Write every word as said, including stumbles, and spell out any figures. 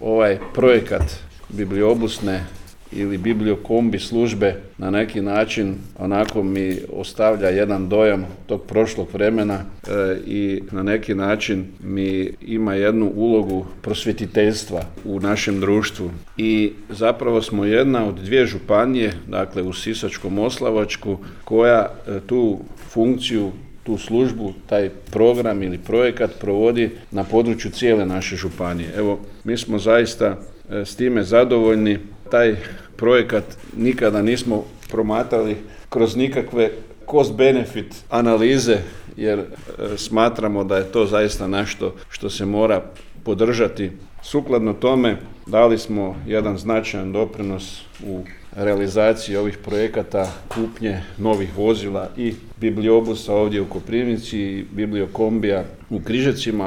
ovaj projekat bibliobusne ili bibliokombi službe na neki način onako mi ostavlja jedan dojam tog prošlog vremena e, i na neki način mi ima jednu ulogu prosvjetiteljstva u našem društvu. I zapravo smo jedna od dvije županije, dakle u Sisačko-moslavačku, koja e, tu funkciju, tu službu, taj program ili projekat provodi na području cijele naše županije. Evo, mi smo zaista e, s time zadovoljni. Taj projekat nikada nismo promatrali kroz nikakve cost-benefit analize, jer e, smatramo da je to zaista nešto što se mora podržati. Sukladno tome dali smo jedan značajan doprinos u realizaciji ovih projekata kupnje novih vozila i bibliobusa ovdje u Koprivnici i bibliokombija u Križevcima.